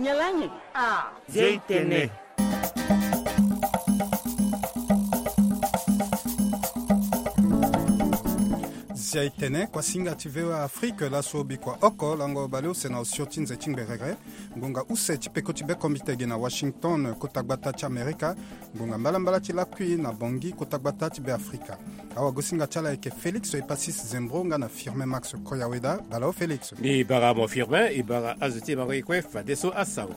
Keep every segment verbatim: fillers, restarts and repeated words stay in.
Yalani. Ah. Zia i tene. Zia i tene, kuasinga ti V O A Afrique, laso bikua oko lango baleuse na osio ti nze ti ngberere. Ngonga use ti peko ti bekombite ge na Washington, kota gbata ti Amerika. Ngonga mbalambala ti lakui na Bangui, kota gbata ti Beafrika. Awagosinga ti ala ayeke Félix Epacis Zembro nga na Firmin Max Koyaweda. Bala o Félix. Mbi bara mo Firmin, e bara azo ti e mango e kue fadeso asango.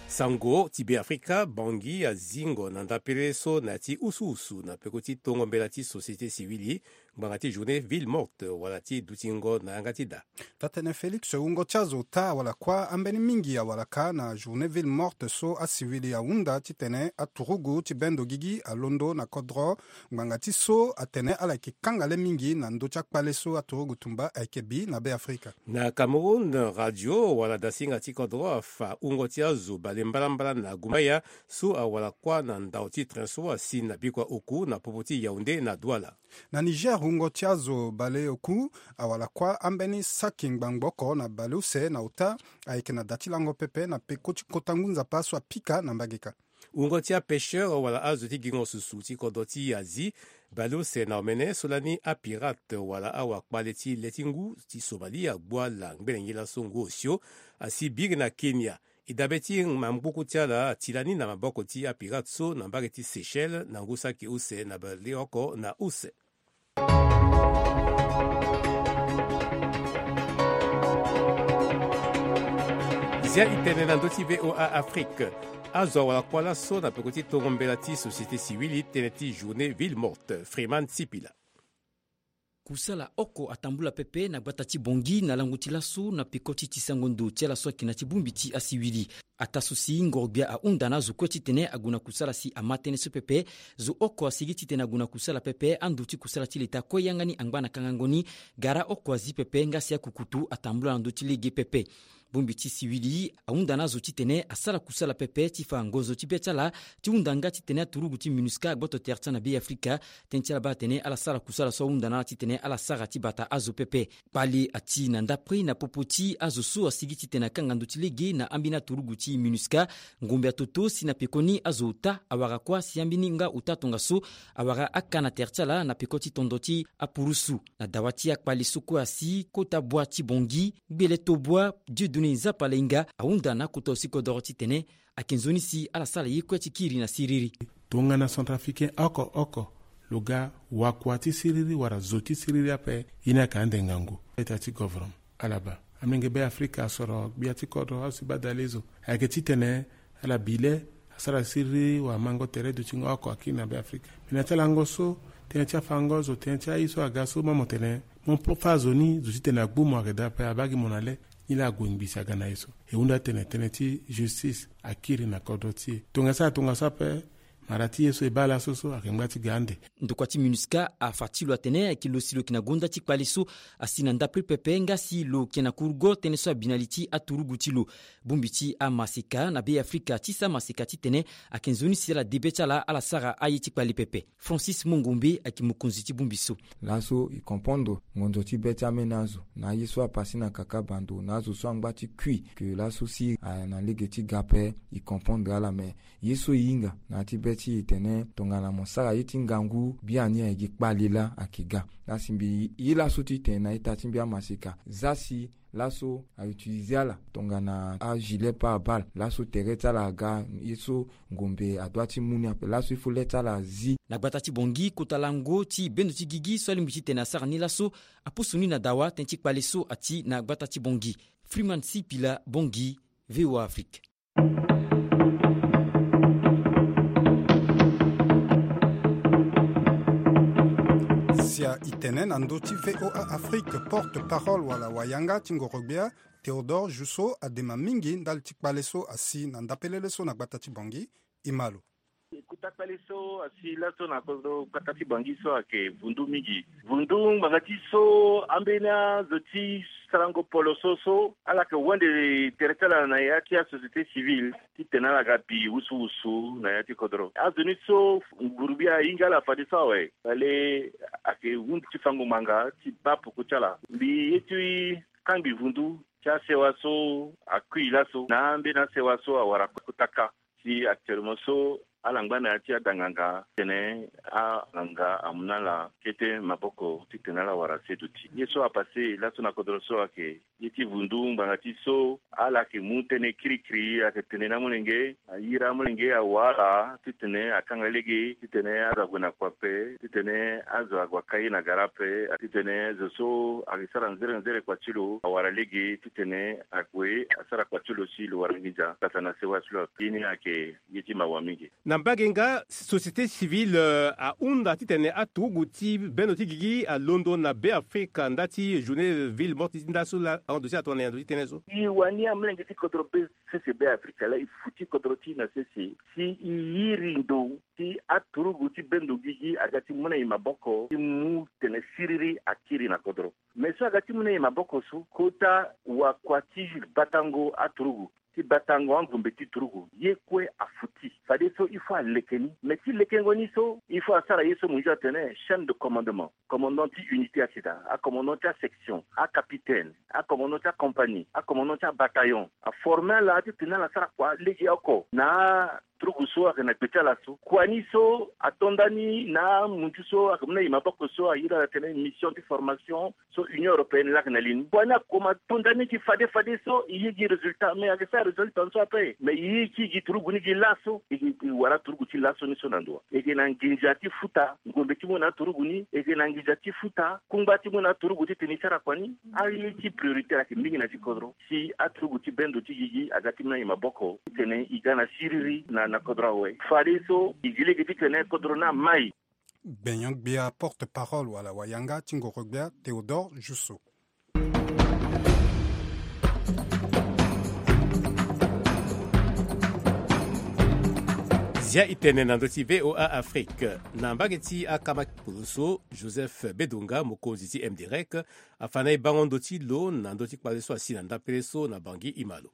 Sango ti Beafrika, Bangui azingo na ndapele so na ya ti usuusu na peko ti tongo mbela ti société civile ngbanga ti journée ville morte wala ti dutingo na yanga ti da. Taa-tënë Félix, wungo ti azo ota wala kuâ ambeni mingi awalaka na journée ville morte so asiwili ahunda titene aturugu ti bendo gigi alondo na kodro. Ngbanga ti so atene ala yeke kanga le mingi na ndö ti akpale so aturugu tumba ayeke bi na Beafrika. Na Cameroun, radio wala dasinga ti kodro afa wungo ti azo bale mbalambala na Gumaya so awara kuâ na ndau ti train so asi na bikua oku na popo ti Yaoundé na Douala. Na Niger, wungo ti azo bale oku awara kuâ ambeni saki ngbangbo oko na baleuse na ota ayeke na da ti lango pepe na peko ti kota ngu nzapa so apika na mbageka. Wungo ti apêcheur wala azo ti gingo susu ti kodro ti Asie, baleuse na omene so lani apirate wala awakpale ti le ti ngu ti Somalie agbu ala ngbene ngia laso ngu osio, asi biri na Kenya. E dabe ti mangbuku ti ala ati lani na maboko ti apirate so na mbage ti Seychelles na ngu saki use na baleoko na use. Zia e tene na ndö ti V O A Afrique. Azo awara kuâ laso na peko ti tongo mbela ti société civile tënë ti journée ville morte, Freeman Sipila. Kusala oko atambula pepe na gbata ti Bangui na lango ti laso na peko ti tisango ndo ti ala so ayeke na ti bongbi ti asiwili. Ataa so si ngoro-gbia ahunda na azo kue titene ague na kusala si ama tënë so pepe. Zo oko asigi titene ague na kusala pepe, ando ti kusala ti leta kue yanga ni angba na kangango ni. Gara oko azi pepe nga si akukutu atambula na ndö ti lege pepe. Bongbi ti siwili ahunda na azo titene asara kusala pepe ti fa ngonzo ti be ti ala, ti hunda nga titene aturugu ti MINUSCA agboto tere ti ala na Beafrika. Tënë ti ala baa atene ala sara kusala so ahunda na ala titene ala sara ti bata azo pepe. Kpale ati na ndapre na popo ti azo so asigi titene akanga ndo ti lege na ambeni aturugu ti MINUSCA. Ngombe atoto si na pekoni azo ota awara kuâ si ambeni nga ota tongaso awara aka na tere ti ala na peko ti tondo ti apurusu. Na dawa ti akpale so kue asi kota bua ti Bangui, gbele to bua Dieudonné Nzapa Lainga ahunda na akota osi kodoro titene ayeke nzoni si ala sara ye kue ti kiri na siriri. Tongana centrafricain oko oko lo ga wakua ti siriri wala zo ti siriri ape, ye ni ayeke ande ngangu. Leta ti govoroma ala baa amenge Beafrika asoro gbia ti kodro azo si baa dali zo. Ayeke titene ala bi le asara siriri wala mango tere dutingo oko akiri na Beafrika. Me na ti alango so, tënë ti afango zo, tënë ti aye so aga so, mo mo tene mo fâ zo ni zo titene agbu mo ayeke daa ape, abaa gi mo na le. Ni laa ague ngbii si aga na ye so. E hunda tene tënë ti justice akiri na kodro ti e. Tongaso ala tongaso ape, mara ti ye so e baa laso so ayeke ngba ti ga ande. Ndokua ti MINUSCA afa ti lo atene ayeke lo si lo yeke na gonda ti kpale so asi na ndapre pepe nga si lo yeke na kurugo tënë so abi na li ti aturugu ti lo. Bongbi ti amaseka na Beafrika ti sara maseka titene ayeke nzoni si ala de be ti ala, ala sara aye ti kpale pepe. Francis Mongombe ayeke mokonzi ti bongbi so. Laso e comprendre ngonzo ti be ti ameni azo na aye so apase na kaka bando na azo so angba ti kui ke laso si aya na lege ti ga ape, e comprendre ala me ye so e hinga na ya ti be ti e tene tongana mo sara ye ti ngangu biani ayeke gi kpale laa ayeke ga. Laa si mbi ye laso ti tene na ita ti mbi amaseka za si laso a utiliser ala tongana agilet pare-balle laso tere ti ala aga ye so ngombe adua ti mu ni ape laso il faut le ti ala azi. Na gbata ti Bangui kota lango ti bendo ti gigi so alingbi titene asara ni laso apusu ni na dawa tënë ti kpale so ati na gbata ti Bangui. Freeman Sipila, Bangui, V O A Afrique. Sia e tene na ndö ti V O A Afrique, porte-parole wala wayanga ti ngoro-gbia Théodore Jousso adema mingi ndali ti kpale so asi na ndapelele so na gbata ti Bangui. E ma lo. Kota kpale so asi laso na kodro gbata ti Bangui so ayeke vundu mingi. Vundu ngbanga ti so ambeni azo ti sarango polo so so ala yeke wende tere ti ala na ya ti asociété civile titene ala ga bi wusuwusu na ya ti kodro. Azo ni so nguru-gbia ahinga ala fadeso awe, fale ayeke hundu ti fango ngbanga ti baa poko ti ala. Mbi ye ti kangbi vundu ti asewa so akui laso na ambeni asewa so awara kota kâ. Si actuellement so ala ngba na ya ti ada nganga titene anganga amu na ala kete maboko titene ala wara se duti. Ye so apasse laso na kodro so ayeke ye ti vundu ngbanga ti so ala yeke mu tënë kirikiri, ayeke tene na amolenge, ayeke iri amolenge awa ala titene akanga lege titene azo ague na kua ape, titene azo ague aka ye na gara ape, titene zo so ayeke sara nzere nzere kua ti lo awara lege titene ague asara kua ti lo si lo wara nginza tata na sewa ti lo ape. Ye ni ayeke ye ti mawa mingi. Na mbage nga, société civile, euh, ahunda titene aturugu ti bendo ti gigi alondo na Beafrika ndali ti journée ville morte ti nda so la, ahon ndo ti atongana na yando ti tënë so. E wani amolenge ti kodro be sese Beafrika la, e futi kodro ti e na sese si e iri ndo ti aturugu ti bendo gigi aga ti mu na e maboko ti mu tene siriri akiri na kodro. Me so aga ti mu na e maboko so, kota wakua ti batango aturugu, ti batango angombe ti turugu, ye kue afuti. Fadeso il faut aleke ni. Mais ti lekengo ni so, il faut asara ye so mo nzoni atene chaîne de commandement. Commandant ti unité asida, acommandant ti asection, acapitaine, acommandant ti acompagnie, acommandant ti abataillon. Aforme ala titene ala sara kua lege oko na turugu so ayeke na gbe ti ala so. Kua ni so ato ndani na amunzu so ayeke mu na e maboko so airi ala tene mission ti formation so Union européenne laa ayeke na li ni. Kua ni akoma to ndani gi fade fade so e ye gi résultat, mais ayeke sara résultat ni so ape. Mais e ye ti gi turugu ni gi laso, e yeke wara turugu ti laso ni so na ndo wa. E yeke na nginza ti futa ngombe ti mu na aturugu ni, e yeke na nginza ti futa kungba ti mu na aturugu titene e sara kua ni. Aye ti prioritaire ayeke mingi na ti kodro. Si aturugu ti bendo ti gigi aga ti mu na e maboko titene e ga na siriri na, na kodro awe. Fadeso e gi lege titene kodro ni amai. Gbenyo-gbia porte-parole wala wayanga ti ngoro-gbia Théodore Jusso. Zia e tene na ndö ti V O A Afrique. Na mbage ti akama polo so, Joseph Bedonga, mokonzi ti M D R E C, afa na e bango ndö ti lo na ndö ti kpale so asi na ndapele so na Bangui e ma lo.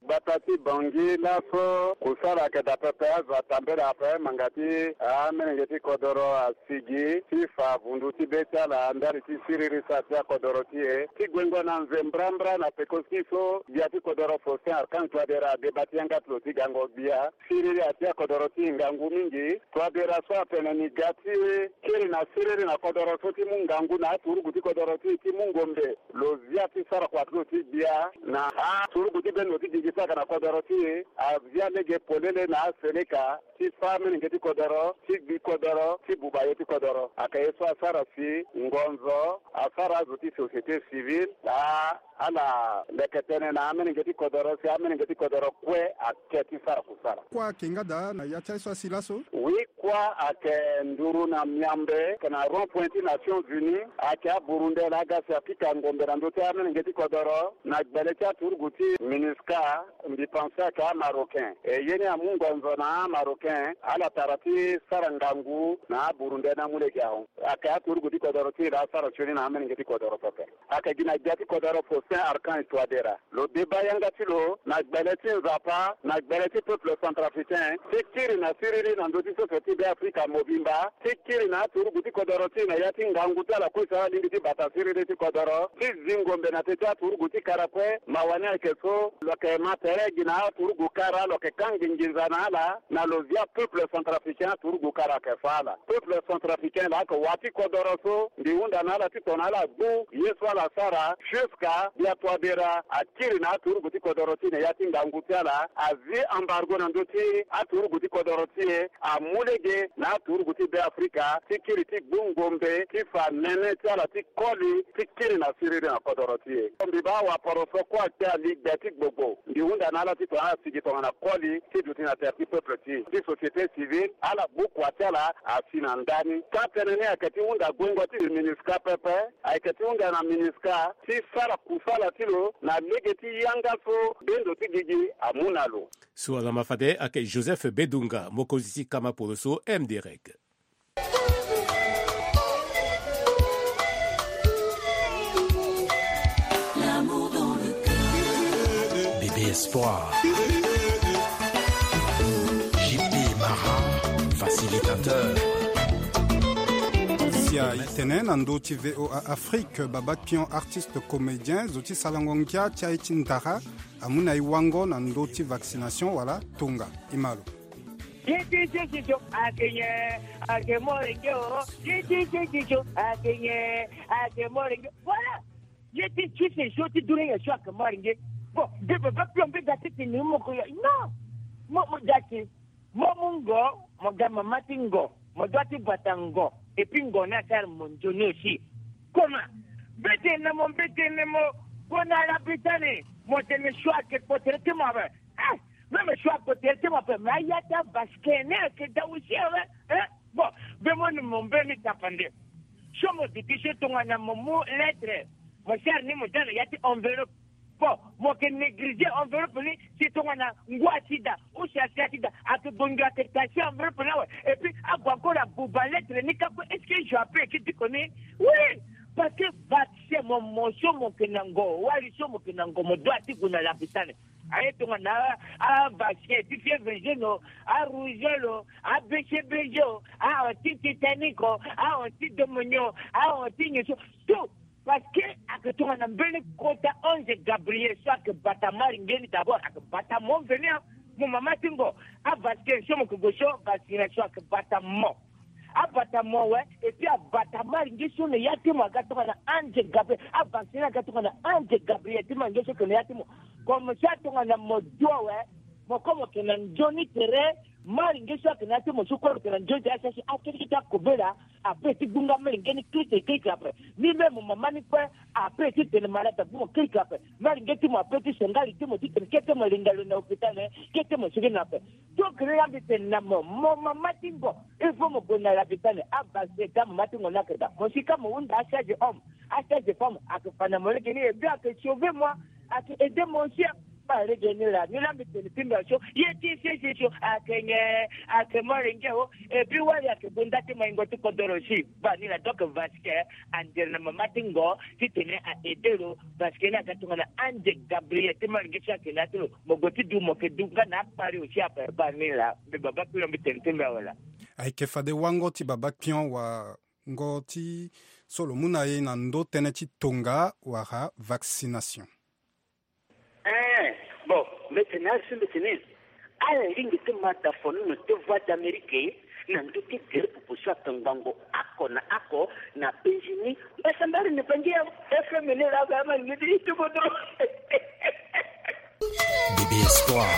Gbata ti Bangui laso kusala ayeke daa pepe, azo atambela ape, ngbanga ti amolenge ti kodoro asigi ti fa vundu ti be ti ala ndali ti siriri sara ti akodoro ti e. Ti guengo na nzembrambra na peko ti so, gbia ti kodoro Faustin Archange Touadéra adeba ti yanga ti lo ti gango gbia. Siriri ati akodoro ti e ngangu mingi. Touadéra so atene ni ga ti kiri na siriri na kodoro so ti mu ngangu na aturugu ti kodoro ti e ti mu ngombe. Lo zia ti sara kua ti lo ti gbia na aturugu ti bendo ti gigi so ayeke na kodoro ti e. Azia lege polele na aseleka ti fâ amolenge ti kodoro, ti gbi kodoro, ti buba ye ti kodoro. Ayeke ye so asara si ngonzo asara azo ti société civile, a ala leke tënë na amolenge ti kodoro si amolenge ti kodoro kue ake ti sara kusala. Kua ayeke nga daa na ya ti aye so asi laso? Oui, kua ayeke nduru na miambe, ayeke na rond-point ti Nations Unies, ayeke aburundele aga si apika ngombe na ndö ti amolenge ti kodoro na gbele ti aturugu ti MINUSCA, mbi pense ayeke amarocain. E ye ni amu ngonzo na amarocain ala tara ti sara ngangu na aburundele ni amu lege ahon. Ayeke aturugu ti kodoro ti e laa asara sioni na amolenge ti kodoro pepe. Ayeke gi na gbia ti kodoro Faustin Archange Touadéra. Lo deba yanga ti lo na gbele ti Nzapa, na gbele ti peuple centrafricain, ti kiri na siriri na ndö ti sese ti Beafrika mobimba, ti kiri na aturugu ti kodoro ti e na ya ti ngangu ti ala kue si ala lingbi ti bata siriri ti kodoro, ti zi ngombe na teti aturugu ti kara kue. Mawa ni ayeke so, lo yeke ma tere gi na aturugu kara, lo yeke kâ nginza na ala, na lo zia peuple centrafricain aturugu kara ayeke fâ ala. Peuple centrafricain laa ayeke wa ti kodoro so, mbi hunda na ala titene ala gbu ye so ala sara, jusqu'à gbia Touadéra akiri na aturugu ti kodoro ti e na ya ti ngangu ti ala, azi embargo na ndö ti aturugu ti kodoro ti e, amu lege na aturugu ti Beafrika ti kiri ti gbu ngombe ti fa nene ti ala ti koli ti kiri na siriri na kodoro ti e. Mbi baa waporo so kue akpe ali gbe ti gbogbo. Mbi hunda na ala titene ala sigi tongana koli ti duti na tere ti peuple ti e. Ti société civile, ala gbu kua ti ala asi na ndani. Kâ tënë ni ayeke ti hunda guengo ti MINUSCA pepe, ayeke ti hunda na MINUSCA ti sara kusala ti lo na lege ti yanga so bendo ti gigi amu na lo. So alama fade ayeke Joseph Bedunga, mokonzi ti kama poloso M D R E C. Bébé Espoir. J P Mara, facilitateur. I tene na ndö ti VOA Afrique, Baba Pion, artiste comédien, zo ti salango ngia ti aye ti ndara, amu na e wango na ndö ti vaccination wala tonga. I ma lo. Ye ti sese so ake nyen, ake moro nge o. Ye ti sese so ake nyen, ake moro nge. Voilà. Ye ti sese so ti dunia nyen so ake moro nge. Bon, mbi Baba Pion mbi ga ti tene moko ya. Non. Mo, mo ga ti. Mo mu ngo, mo ga mama ti ngo. Mo dua ti bata ngo. Et puis ngo ni asara mo nzoni aussi. Comment? Mbi tene mo, mbi tene mo. Gue na Arabie Saoudite. Mo tene so ake kpo tere ti mo ape. Eh, même choix côté ti mo ape, mais aya ti avasquin ni ake daa aussi awe. Eh, bon, mbe mo ni mo mbeni tapande. So mo duti so tongana mo mu lettre, mo sara ni mo daa na ya ti enveloppe. Bon, mo ke négliger enveloppe ni, si tongana ngu asi daa, ou si asi asi daa, ake gue ngia ake tasi enveloppe ni awe. Et puis ague encore abuba lettre ni ka kue, est-ce que je appelle ki ti ko ni? Oui, parce que vaccin mo, mo so mo ke na ngo, wali so mo ke na ngo, mo dua ti gue na lapitane. Aye tongana a, a vaccin ti fièvre jaune o, a rougeole o, a B C B G o, a anti-tétanique o, a anti-pneumonie o, a anti nyen so, tout. Parce que ake tongana mbeni kota ange Gabriel so ake bata malinge ni d'abord, ake bata mo mveni a, mo mama ti ngo, a vaccin so mo ke gue so, vaccination ake bata mo. Abata mo awe, et puis abata malinge so na ya ti mo aga tongana ange Gabriel. Avasini aga tongana ange Gabriel ti malinge so ke na ya ti mo. Comme ça tongana mo dua awe, mo ko mo ke na nzoni tere, malinge so ake na ya ti mo so kue lo ke na nzoni tere, asi asi akirikiri ti akobela, ape ti gbunga malinge ni kirikiri kirikiri ape. Ni même mo mama ni kue, ape ti tene malade abu mo kirikiri ape. Malinge ti mo ape ti senga li ti mo ti tene kete mo linga lo na hôpital, kete mo sigi na ape. Donc ni la mbi tene na mo, mo mama ti ngo, il faut mo gue na lapitane, abaseta mama ti ngo ni ake daa. Mo si ka mo hunda a charge homme, a charge femme, ake fa na mo lege ni, et puis ake sauver moi, ake aider mo aussi. Ba lege ni la, ni la mbi tene ti mbi aso, ye ti sese so, ake nyen, ake molenge o, et puis wali ake gue nda ti maingo ti kodoro si. Ba ni la, donc vasquer, andere na mama ti ngo, ti tene a aider lo, parce que ni aga tongana ange Gabriel ti malinge so ake na ya ti lo. Mo gue ti du mo ke du nga na akpari aussi ape. Ba ni la, mbi Baba Pion mbi tene ti mbi awe la. Ayeke fade wango ti Baba Pion wango ti so lo mu na e na ndö tënë ti tonga wala vaccination. Eh, bon, mbi tene asi mbi tene. Ala lingbi ti ma da fo ni na te Voix d'Amérique na ndö ti gere popo so ake ngbangbo oko na oko na penzi ni. Mbasambari na Bangi ya F M ni la, ba ma ni ti ti kodro. Bébé Espoir.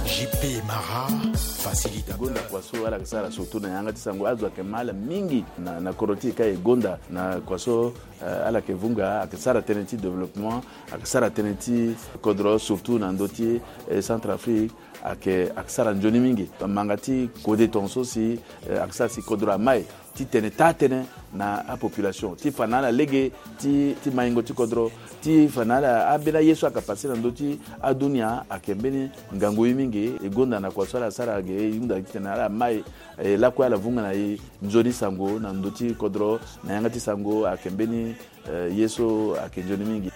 J P Mara, facilitateur. Gonda kua so ala ke sara surtout na yanga ti sango, azo ayeke ma ala mingi na, na kodro ti e ka e gonda na kua so, eh, ala yeke vunga, ayeke sara tënë ti développement, ayeke sara tënë ti kodro surtout na ndö ti, eh, Centrafrique, ayeke, ayeke sara nzoni mingi. Manga ti kode tongaso si, eh, ayeke sara si kodro amai ti tene taa tënë na apopulation, ti fa na ala lege ti, ti maingo ti kodro, ti fa na ala ambeni aye so ayeke pase na ndö ti adunia, ayeke mbeni ngangu ye mingi. E gonda na kua so ala sara ge, e hunda titene ala mai, e lakue ala vunga na e nzoni sango na ndö ti kodro, na yanga ti sango ayeke mbeni Eh, ye so ayeke nzoni mingi.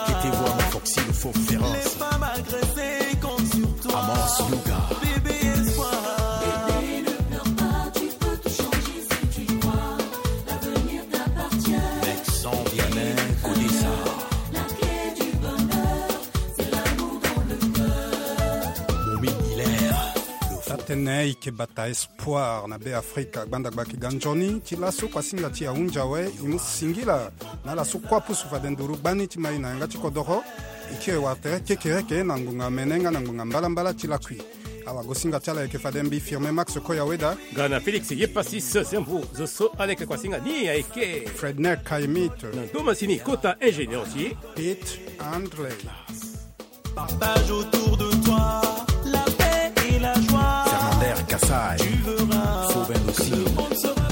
Kete voir Foxy le faux féroce. Amance Yoga. Avec Jean Vianney Kodessa. Momi Hilaire. Atene e yeke bata es- Espoir na Be Afrika, gbanda gba yeke ga nzoni ti laso kuasinga ti e ahunzi awe, e mu singila na ala so kue apusu fade nduru gbani ti ma e na yanga ti kodoro. E kiri wala tere kekereke na ngbonga mene nga na ngbonga mbalambala ti lakui. Awagosinga ti ala yeke fade mbi Firme Max Koyaweda. Nga na Félix Yepasis Zembo, zo so ala yeke kuasinga ni ayeke Fredner Kaimit. Na ndo masini kota ingénieur ti Pete André. Partage autour de toi la paix et la joie. Fernandez Kassai. Tu verras. Fauben aussi. Le monde sera